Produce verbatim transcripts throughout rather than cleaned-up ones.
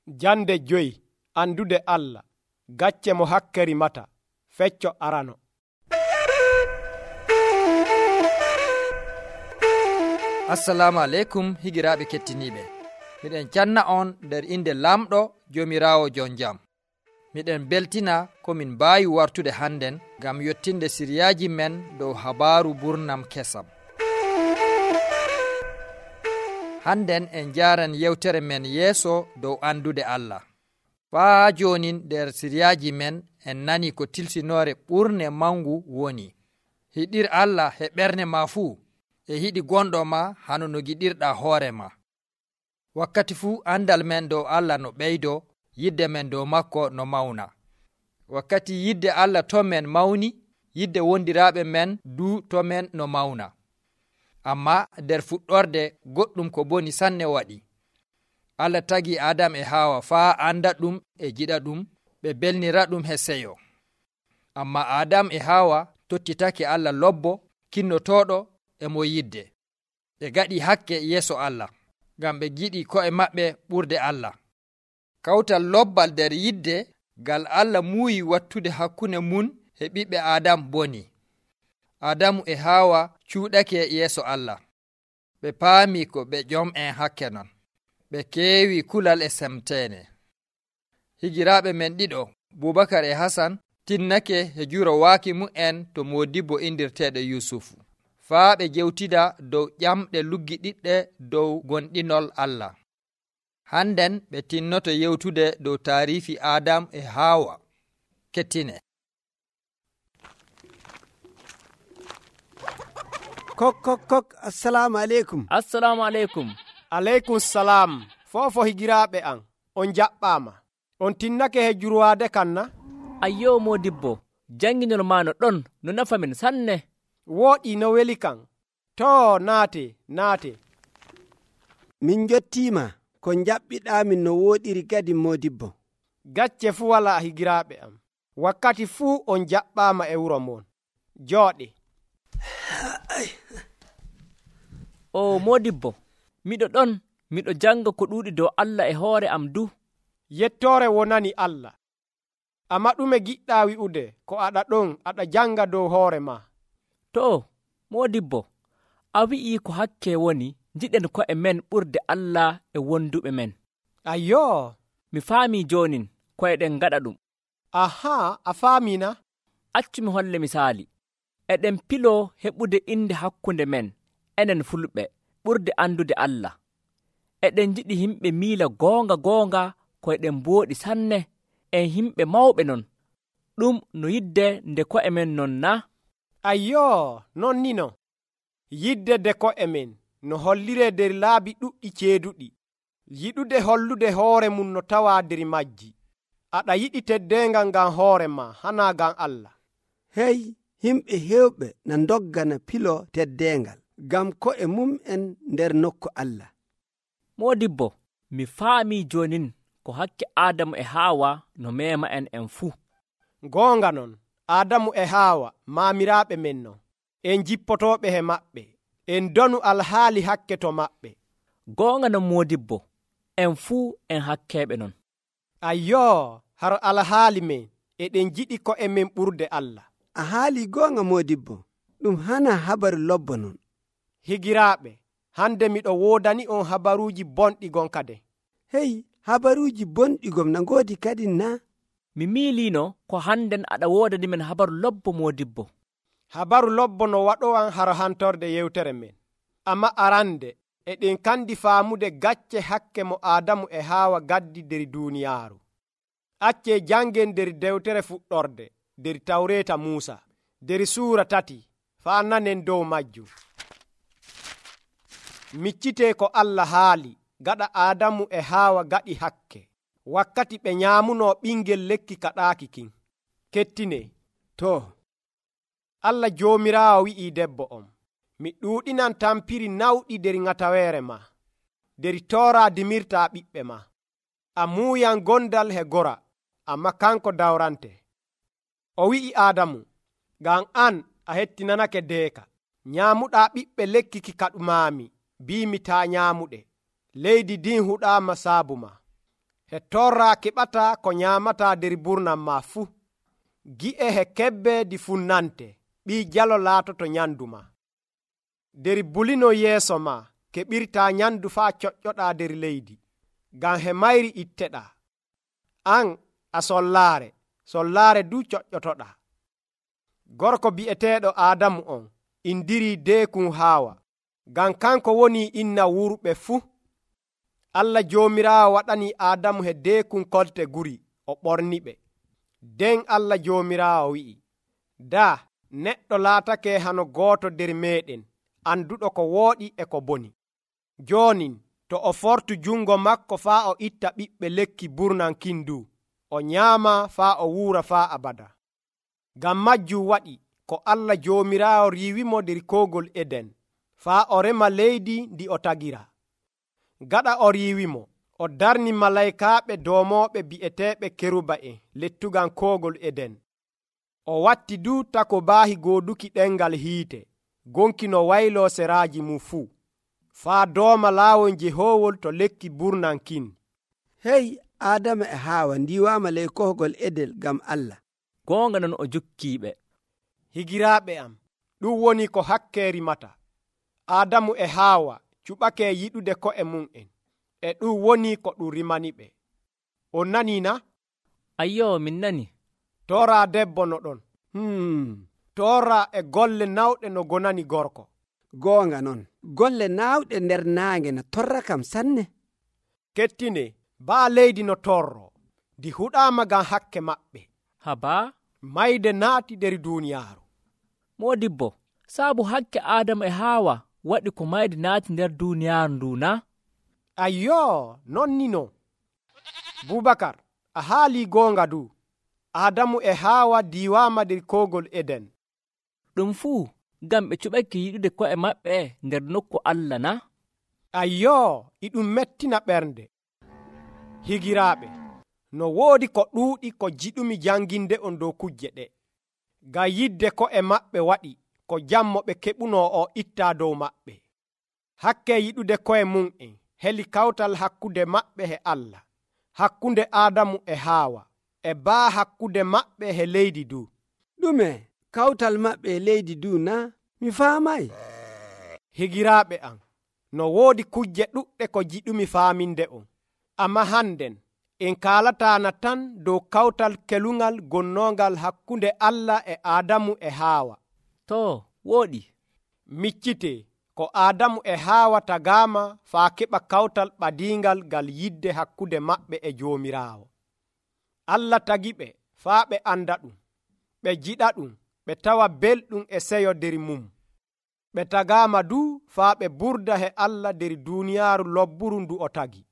Jande joyi andude Allah, gacce mo hakke rimata, fecco arano. Assalamu aleykum higiraaɓe kettiniiɓe. Miɗen canna on nder inde lamɗo Joomiraawo jon jam. Miɗen beltina komin mbaawi wartude hannden ngam yottinde siriyaaji men dow habaaru burnam kesam. Hannden en njaaran yewtere men yeeso dow andude Allah. Faa jooni nder siriyaaji men en nani ko tilsinoore ɓurne mangu woni: hiɗir Allah e ɓernde ma fuu, e hiɗi gonɗo ma hano no giɗirɗaa hoore ma. Wakkati fuu andal men dow Allah no ɓeydo, yidde men dow makko no mawna. Wakkati yidde Allah to men mawni, yidde wondiraaɓe men du to men no mawna. Amma nder fuɗɗorde goɗɗum ko boni sanne waɗi. Allah tagi Adam e Hawa faa anda ɗum e jiɗa ɗum, ɓe belnira ɗum he seyo. Amma Adam e Hawa tottitake Allah lobbo kinnotoɗo e mo yidde. Ɓe gaɗi hakke yeeso Allah, ngam ɓe giɗi ko'e maɓɓe ɓurde Allah. Kawtal lobbal nder yidde ngal Allah muuyi wattude hakkunde mun e ɓiɓɓe Adam boni. Adamu e Hawa cuuɗake yeeso Allah. Ɓe paami ko ɓe jom en hakke non. Ɓe keewi kulal e semteene. Higiraaɓe men ɗiɗo, Bubakar e Hasan, tinnake e juro waaki mu'en to Moodibbo indirteeɗo Yusufu. Faa ɓe jewtida dow ƴamɗe luggiɗiɗɗe dow gonɗinol Allah. Hannden ɓe tinnoto yewtude dow taariifi Adam e Hawa. Kettine. Kok kok kok assalamu aleykum. Assalamu aleykum. Aleykum salam. Fofo higiraaɓe an, on jaɓɓaama. On tinnake he jurwaade kan na? Ayyo Moodibbo, janginol ma no ɗon no nafa min sanne. Wooɗi no weli kan. Too naate naate. Min jottiima ko jaɓɓiɗaamin no wooɗiri kadi Moodibbo. Gacce fuu walaa higiraaɓe am. Wakkati fuu on jaɓɓaama e wuro mon. Jooɗe. O Moodibbo, miɗo ɗon miɗo janga ko ɗuuɗi dow Allah e hoore am du. Yettoore wonani Allah. Amma ɗume giɗɗaa wi'ude ko aɗa ɗon aɗa janga dow hoore ma? To, Moodibbo, a wi'ii ko hakke woni jiɗen ko'e men ɓurde Allah e wonduɓe men. Ayyoo, mi faamii joonin ko'eɗen gaɗa ɗum. Ahaa, a faamina? Accu mi holle misaali. Eɗen piloo heɓude inde hakkunde men, enen fulɓe, ɓurde andude Allah. Eɗen jiɗi himɓe miila goonga goonga koyɗen mbooɗi sanne, en himɓe mawɓe non. Ɗum no yidde nde ko'e men non na? Ayyoo, non ni no. Yidde nde ko'e men no holliree nder laabi ɗuɗɗi ceeduɗi. Yiɗude hollude hoore mum no tawaa nder majji. Aɗa yiɗi teddeengal ngam hoore ma, hanaa ngam Allah. Hey, himɓe heewɓe na doggana pilo teddeengal ngam ko'e mum en nder nokku Allah. Moodibbo, mi faamii joonin ko hakke Aadamu e Haawa no meema en en fuu. Goonga non, Aadamu e Haawa maamiraaɓe men non, en jippotooɓe he maɓɓe, en donu alhaali hakke to maɓɓe. Goonga non Moodibbo, en fuu en hakkeeɓe non. Ayyoo, haro alhaali men, eɗen jiɗi ko'e men ɓurde Allah. A haali goonga Moodibbo, ɗum hana habaru lobbo non. Higiraaɓe, hande miɗo woodani on habaruuji bonɗi gonka de. Hey, habaruuji bonɗi gom na ngoodi kadi na? Mi miiliino ko hannden aɗa woodani men habaru lobbo Moodibbo. Habaru lobbo no waɗowan haro hantorde yewtere men. Amma arande, eɗen kandi faamude gacce hakke mo Aadamu e Haawa gaddi nder duuniyaaru. Accee jangen nder dewtere fuɗɗorde, nder Tawreeta Muusa, nder suura tati, faa nanen dow majjum. Miccitee ko Allah haali gaɗa Aadamu e Haawa gaɗi hakke, wakkati ɓe nyaamunoo ɓingel lekki kaɗaaki kin. Kettine, to, Allah Joomiraawo wi'ii debbo on, mi ɗuuɗinan tampiri nawɗi nder ŋataweere ma, nder tooraa dimirtaa ɓiɓɓe ma. A muuyan gondal he gora, amma kanko dawrante. O wi'i Aadamu, ngam an a hettinanake deeka, nyaamuɗaa ɓiɓɓe lekki ki kaɗumaami, biimi taa nyaamuɗe. Leydi din huɗaama saabu ma. he torra keɓata ko nyamata der burnam ma fuu. Gi'e he kebbe di funnante ɓi jalo laatoto nyandu ma. Der bulino yeeso ma keɓirta nyandu faa coƴƴoɗa der leydi, ngam he mayri itteɗa. An a sollaare, sollaare du coƴƴotoɗa. Gorko bi'eteeɗo Aadamu on indiri deekun Haawa, ngam kanko woni inna wurɓe fuu. Allah Joomiraawo waɗani Aadamu he deekun kolte guri o ɓorniɓe. Den Allah Joomiraawo wi'i, daa neɗɗo laatake hano gooto der meeɗen anduɗo ko wooɗi e ko boni. Joonin to o fortu jungo makko faa o itta ɓiɓɓe lekki burnan kindu, o nyaama faa o wuura faa abada. Ngam majjum waɗi ko Allah Joomiraawo riiwimo der koogol Eden faa o rema leydi ndi o tagira. Gaɗa o riiwimo, o darni malaykaaɓe doomooɓe bi'eteeɓe keruba'en lettugal koogol Eden. O watti du tako baahi gooduki ɗengal hiite gonki no wayloo seraaji mum fuu, faa dooma laawol jehoowol to lekki burnan kin. Hey, Adama e Haawa ndiwaama ley kohgol Eden ngam Allah. Goonga non o jukkiiɓe. Higiraaɓe am, ɗum woni ko hakke rimata. Adamu e Haawa cuɓake yiɗude ko'e mum'en, e ɗum woni ko ɗum rimani ɓe. On nanii na? Ayyoo, min nani. Tora debbo no ɗon. Hmm. Tora e golle nawɗe no gonani gorko. Goonga non, golle naawɗe nder naange no torra kam sanne. Kettine, baa leydi no torro, ndi huɗaama ngam hakke maɓɓe. Habaa? Mayde naati der duuniyaaru. Moodibbo, saabu hakke Aadama e Haawa waɗi ko mayde naati nder duuniyaaru ndu na? Ayyoo, non ni no. Bubakar, a haalii goonga du. Adamu e Haawa diiwaama der koogol Eden. Ɗum fuu ngam ɓe cuɓake yiɗude ko'e maɓɓe nder nokku Allah na? Ayyoo, iɗum mettina ɓernde. Higiraaɓe, no woodi ko ɗuuɗi ko jiɗumi janginde on dow kujje ɗe. Ngam yidde ko'e maɓɓe waɗi ko jammo ɓe keɓunoo o itta dow maɓɓe. Hakke yiɗude ko'e mum'en heli kawtal hakkunde maɓɓe he Allah, hakkunde Adamu e Haawa, e baa hakkunde maɓɓe he leydi du. Ɗume kawtal maɓɓe e leydi du na? Mi faamay. Higiraaɓe am, no woodi kujje ɗuɗɗe ko jiɗumi faaminde on. Amma hannden en kaalataana tan dow kawtal kelungal gonnongal hakkunde Allah e Adamu e Haawa. To, wooɗi. Miccite ko Adamu e Haawa tagaama faa keɓa kawtal ɓadiingal ngal yidde hakkunde maɓɓe e Joomiraawo. Allah tagi ɓe faa ɓe anda ɗum, ɓe jiɗa ɗum, ɓe tawa belɗum e seyo der mum. Ɓe tagaama du faa ɓe burda he Allah der duuniyaaru lobburu ndu o tagi.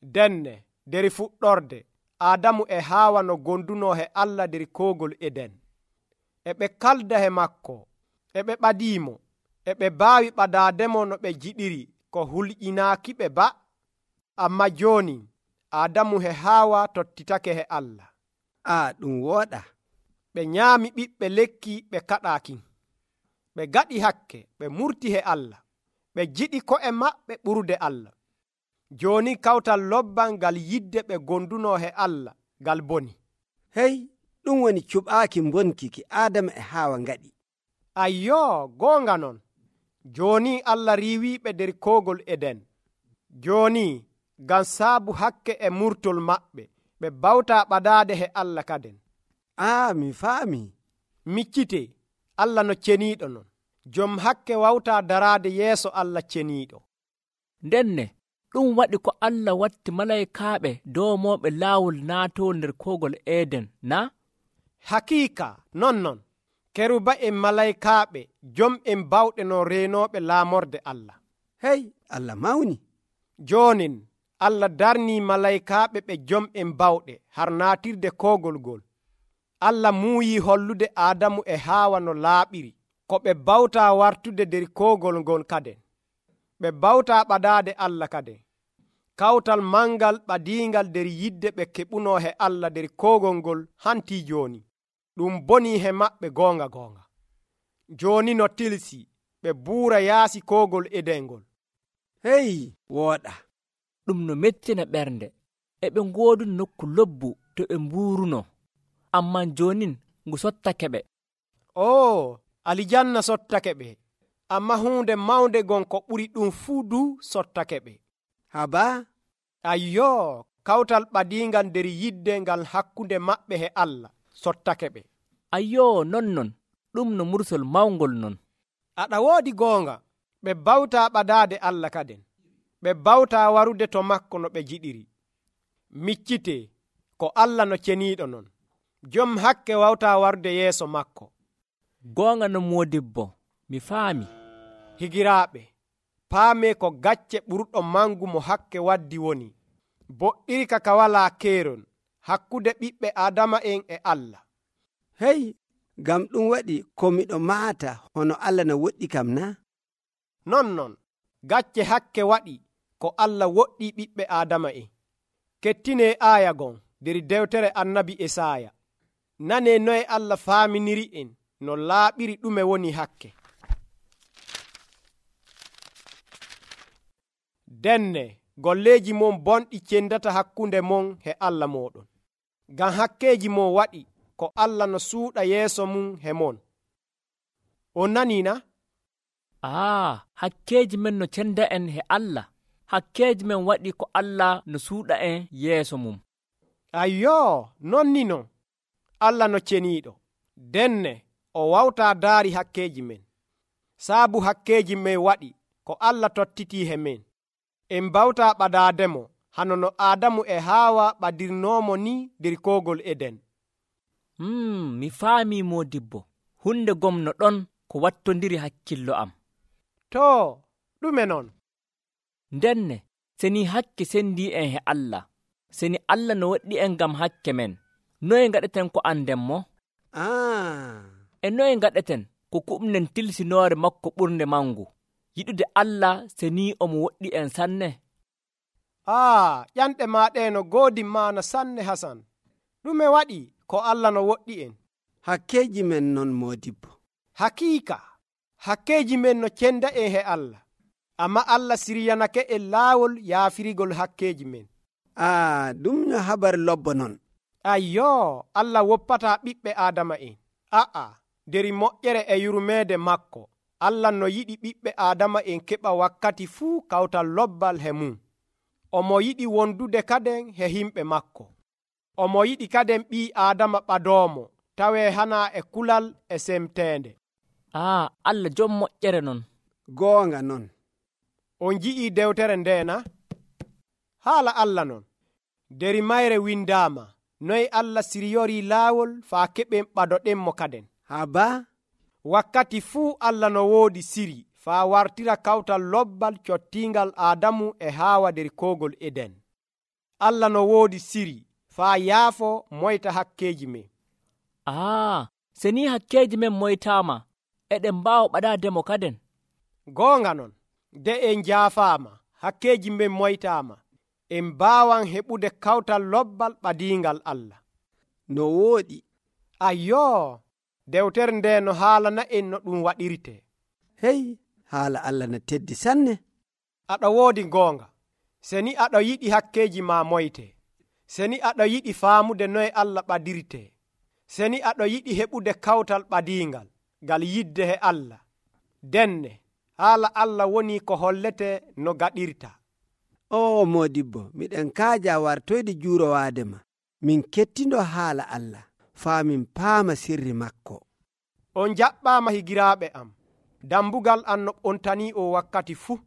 Denne der fuɗɗorde Adamu e Haawa no gonduno he Allah der koogol Eden. E ɓe kalda he makko, e ɓe ɓadiimo, e ɓe baawi ɓadaademo no ɓe jiɗiri ko hulƴinaaki ɓe ba. Amma jooni Adamu he Haawa tottitake he Allah. A ɗum wooɗa. Ɓe nyaami ɓiɓɓe lekki ɓe kaɗaakin. Ɓe gaɗi hakke, ɓe murti he Allah. Ɓe jiɗi ko'e maɓɓe ɓurde Allah. Jooni kawtal lobban ngal yidde ɓe gonduno he Allah ngal boni. Hey, ɗum woni cuɓaaki bonki ki Adama e Haawa ngaɗi. Ayyoo, goonga non. Jooni Allah riiwiiɓe der koogol Eden. Jooni ngam saabu hakke e murtol maɓɓe, ɓe bawta ɓadaade he Allah kaden. Ah, mi faami. Miccite, Allah no ceniiɗo non. Jom hakke wawta daraade yeeso Allah ceniiɗo. Ndenne, ɗum waɗi ko Allah watti malaykaaɓe doomooɓe laawol naatoo nder koogol Eden na? Hakiika non non, keruba'en malaykaaɓe jom'en bawɗe no reenooɓe laamorde Allah. Hey, Allah mawni. Joonin Allah darnii malaykaaɓe ɓe jom'en bawɗe har naatirde koogol ngol. Allah muuyi hollude Adamu e Haawa no laaɓiri ko ɓe bawta wartude der koogol ngol kaden. Ɓe bawta ɓadaade Allah kaden. Kawtal mangal ɓadiingal der yidde ɓe keɓuno he Allah der koogol ngol hanti jooni. Ɗum boni he maɓɓe goonga goonga. Jooni no tilsi ɓe buura yaasi koogol Eden ngol. Hey, wooɗa. Ɗum no mettina ɓernde. e ɓe ngooduni nokku lobbu to ɓe mbuuruno, amman jonin ngu sottake ɓe. o alijanna sottake ɓe, amma hunde mawnde gon ko ɓuri ɗum fuu du sottake ɓe. haba ayyo kawtal ɓadiingal nder yidde ngal hakkunde maɓɓe e Allah sottake ɓe. ayyo non non ɗum no mursol mawngol non. aɗa woodi goonga, ɓe bawtaa ɓadaade Allah kaden, ɓe bawtaa warude to makko no ɓe jiɗiri. miccite ko Allah no ceniiɗo non, jom hakke wawtaa warude yeeso makko. goonga no moodibbo, mi faami. higiraaɓe, paamee ko gacce ɓurɗo mangu mo hakke waddi woni boɗɗirka ka walaa keeron hakkude ɓiɓɓe Aadama'en e Allah. hey ngam ɗum waɗi ko miɗo maata hono Allah no woɗɗi kam na? non non gacce hakke waɗi ko Allah woɗɗi ɓiɓɓe Aadama'en. kettinee aaya gon nder dewtere annabi Esaaya. nanee noye Allah faaminiri en no laaɓiri ɗume woni hakke. denne golleeji mon bonɗi cendata hakkunde mon he Allah moɗon, ngam hakkeeji mon waɗi ko Allah no suuɗa yeeso mum he mon. on nanii na? aa hakkeeji men no cenda en he Allah, hakkeeji men waɗi ko Allah no suuɗa en yeeso mum. ayyo non ni non Allah no ceniiɗo, denne o wawtaa daari hakkeeji men. saabu hakkeeji men waɗi ko Allah tottitii he men, en bawtaa ɓadaademo hano no Aadamu e Haawa ɓadirnoomo ni nder koogol Eden. hmm, mi faamii moodibbo, hunde gomno ɗon ko wattondiri hakkillo am. too ɗume non? ndenne seni hakke sendii en he Allah, seni Allah no waɗɗi en ngam hakke men, noye ngaɗeten ko anden mo? ah. e noye ngaɗeten ko kuɓnen tilsinoore makko ɓurnde mangu, yiɗude Allah seni omo woɗɗi en sanne? aa ƴanɗe maaɗe no goodi maana sanne Hasan. ɗume waɗi ko Allah no woɗɗi en? hakkeeji men non moodibbo. hakiika hakkeeji men no cenda en he Allah, amma Allah siryanake en laawol yaafirigol hakkeeji men. ah ɗum no habar lobbo non. ayyo Allah woppataa ɓiɓɓe Aadama'en. a'a nder moƴƴere e yurmeede makko Allah no yiɗi ɓiɓɓe Aadama'en keɓa wakkati fuu kawtal lobbal he mum. omo yiɗi wondude kaden he himɓe makko. omo yiɗi kaden ɓii Aadama ɓadoomo tawee hana e kulal e semteende. aa Allah jom moƴƴere non. goonga non. on ji'ii dewtere ndeena? haala Allah non nder mayre windaama noy Allah siryorii laawol faa keɓen ɓadoɗenmo kaden. haba wakkati fuu Allah no woodi siri faa wartira kawtal lobbal cottiingal Aadamu e Haawa nder koogol Eden. Allah no woodi siri faa yaafo moyta hakkeeji men. aa seni hakkeeji men moytaama eɗen mbaawa ɓadaademo kaden. goonga non de en jaafaama hakkeeji men moytaama, en mbaawan heɓude kawtal lobbal ɓadiingal Allah. no wooɗi. ayyo dewtere nde no haalana en no ɗum waɗirte. hey haala Allah no teddi sanne. aɗa woodi goonga, seni aɗa yiɗi hakkeeji ma moyte, seni aɗa yiɗi faamude noye Allah ɓadirte, seni aɗa yiɗi heɓude kawtal ɓadiingal ngal yidde he Allah, denne haala Allah woni ko hollete no gaɗirta. o moodibbo miɗen kaaja wartoyde juurowaadema min kettindo haala Allah faa min paama sirri makko. on jaɓɓaama higiraaɓe am, dambugal an no ɓontanii o wakkati fuu.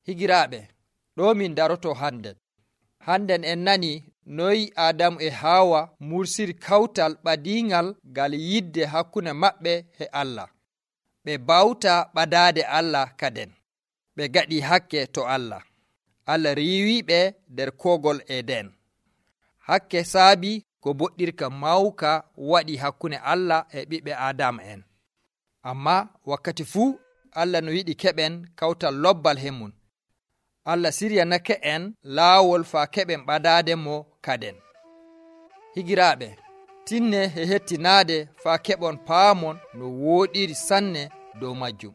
higiraaɓe, ɗo min daroto hannden hannden en nani noyi Adamu e Hawa mursiri kawtal ɓadiingal ngal yidde hakkunde maɓɓe e Allah. ɓe bawta ɓadaade Allah kaden, ɓe gaɗi hakke to Allah. Allah riiwiɓe nder koogol Eden. hakke saabi ko boɗɗirka mawka waɗi hakkunde Allah e ɓiɓɓe Adama en. amma wakkati fuu Allah no yiɗi keɓen kawtal lobbal hemum. Allah siryanake en laawol faa keɓen ɓadaade mo kaden. higiraaɓe, tinne e hettinaade faa keɓon paamon no wooɗiri sanne dow majjum.